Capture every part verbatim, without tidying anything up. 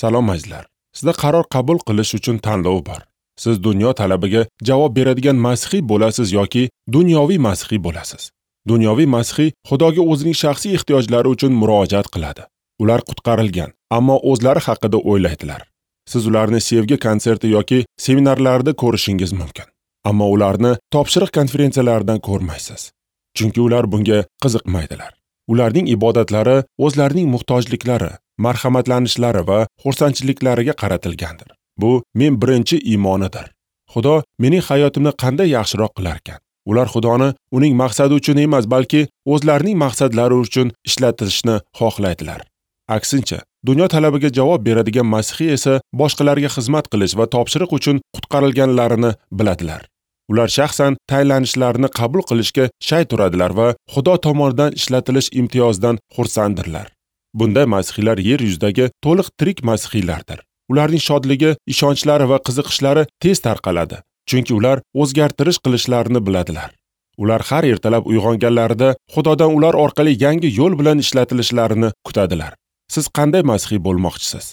Salom azizlar. Sizda qaror qabul qilish uchun tanlov bor. Siz dunyo talabiga javob beradigan masihiy bo'lasiz yoki dunyoviy masihiy bo'lasiz. Dunyoviy masihiy Xudoga o'zining shaxsiy ehtiyojlari uchun murojaat qiladi. Ular qutqarilgan, ammo o'zlari haqida o'ylaydilar. Siz ularni sevgi konserti yoki seminarlarda ko'rishingiz mumkin, ammo ularni topshiriq konferensiyalaridan ko'rmaysiz. Chunki ular bunga qiziqmaydilar. Ularning ibodatlari o'zlarining muhtojliklari, marhamatlanishlari va xursandchiliklariga qaratilgandir. Bu men birinchi iymonidir. Xudo mening hayotimni qanday yaxshiroq qilarkan? Ular Xudoni uning maqsadi uchun emas, balki o'zlarining maqsadlari uchun ishlatishni xohlaydilar. Aksincha, dunyo talabiga javob beradigan masihiy esa boshqalarga xizmat qilish va topshiriq uchun qutqarilganlarini biladilar. Ular shaxsan tayinlanishlarini qabul qilishga shay turadilar va Xudo tomonidan ishlatilish imtiyozidan xursanddirlar. Bunday masihiylar yer yuzidagi to'liq tirik masihiylardir. Ularning shodligi, ishonchlari va qiziqishlari tez tarqaladi, chunki ular o'zgartirish qilishlarini biladilar. Ular har ertalab uyg'onganlarida Xudodan ular orqali yangi yo'l bilan ishlatilishlarini kutadilar. Siz qanday masihiy bo'lmoqchisiz?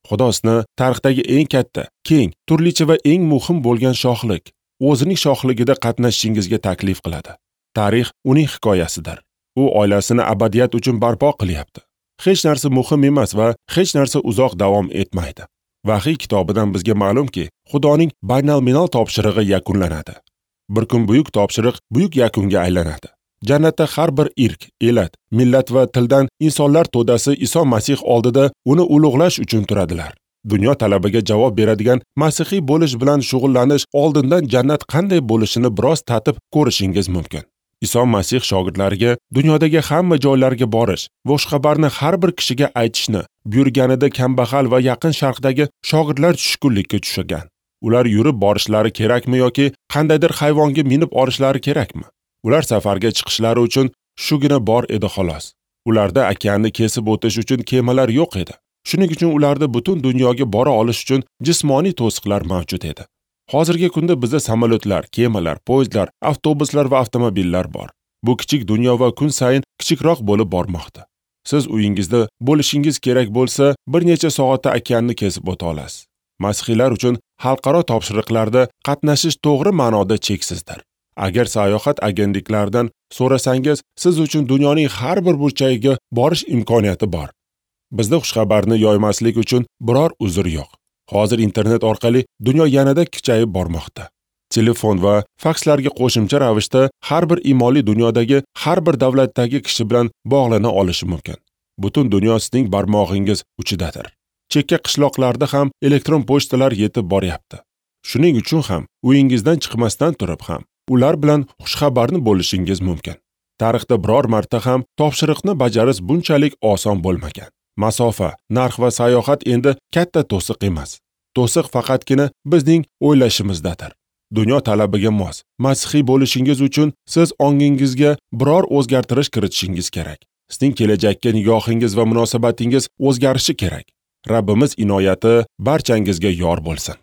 Xudo sizni tarixdagi eng katta, keng, turlicha va eng muhim bo'lgan shohlik, o'zining shohligida qatnashishingizga taklif qiladi. Tarix uning hikoyasidir. U oilasini abadiyat uchun barpo qilyapti. Hech narsa muhim emas va hech narsa uzoq davom etmaydi. Vahiy kitobidan bizga ma'lumki, Xudoning baynalminal topshirig'i yakunlanadi. Bir kun buyuk topshiriq buyuk yakunga aylanadi. Jannatda har bir irk, elat, millat va tildan insonlar to'dasi Iso Masih oldida uni ulug'lash uchun turadilar. Dunyo talabiga javob beradigan masihiy bo'lish bilan shug'ullanish oldindan jannat qanday bo'lishini biroz tatib ko'rishingiz mumkin. Iso Masih shogirdlariga dunyodagi hamma joylarga borish va xushxabarni har bir kishiga aytishni buyurganida kambag'al va Yaqin Sharqdagi shogirdlar tushkunlikka tushgan. Ular yurib borishlari kerakmi yoki qandaydir hayvonga minib olishlari kerakmi? Ular safarga chiqishlari uchun shugina bor edi xolos. Ularda okeanni kesib o'tish uchun kemalar yo'q edi. Shuning uchun ularda butun dunyoga bora olish uchun jismoniy to'siqlar mavjud edi. Hozirgi kunda bizda samolyotlar, kemalar, poyezdlar, avtobuslar va avtomobillar bor. Bu kichik dunyo va kun sayin kichikroq bo'lib bormoqda. Siz uyingizda bo'lishingiz kerak bo'lsa, bir necha soatda okeanni kesib o'ta olasiz. Masihiylar uchun xalqaro topshiriqlarda qatnashish to'g'ri ma'noda cheksizdir. Agar sayohat agentliklaridan so'rasangiz, siz uchun dunyoning har bir burchagiga borish imkoniyati bor. Bizda xushxabarni yoymaslik uchun biror uzr yo'q. Hozir internet orqali dunyo yanada kichayib bormoqda. Telefon va fakslarga qo'shimcha ravishda har bir iymonli dunyodagi har bir davlatdagi kishi bilan bog'lana olishi mumkin. Butun dunyo sizning barmog'ingiz uchidadir. Chekka qishloqlarda ham elektron pochtalar yetib boryapti. Shuning uchun ham uyingizdan chiqmasdan turib ham ular bilan xushxabarni bo'lishingiz mumkin. Tarixda biror marta ham topshiriqni bajarish bunchalik oson bo'lmagan. Masofa, narx va sayohat endi katta to'siq emas. To'siq faqatgina bizning o'ylashimizdadir. Dunyo talabiga mos masihiy bo'lishingiz uchun siz ongingizga biror o'zgartirish kiritishingiz kerak. Sizning kelajakka nigohingiz va munosabatingiz o'zgarishi kerak. Rabbimiz inoyati barchangizga yor bo'lsin.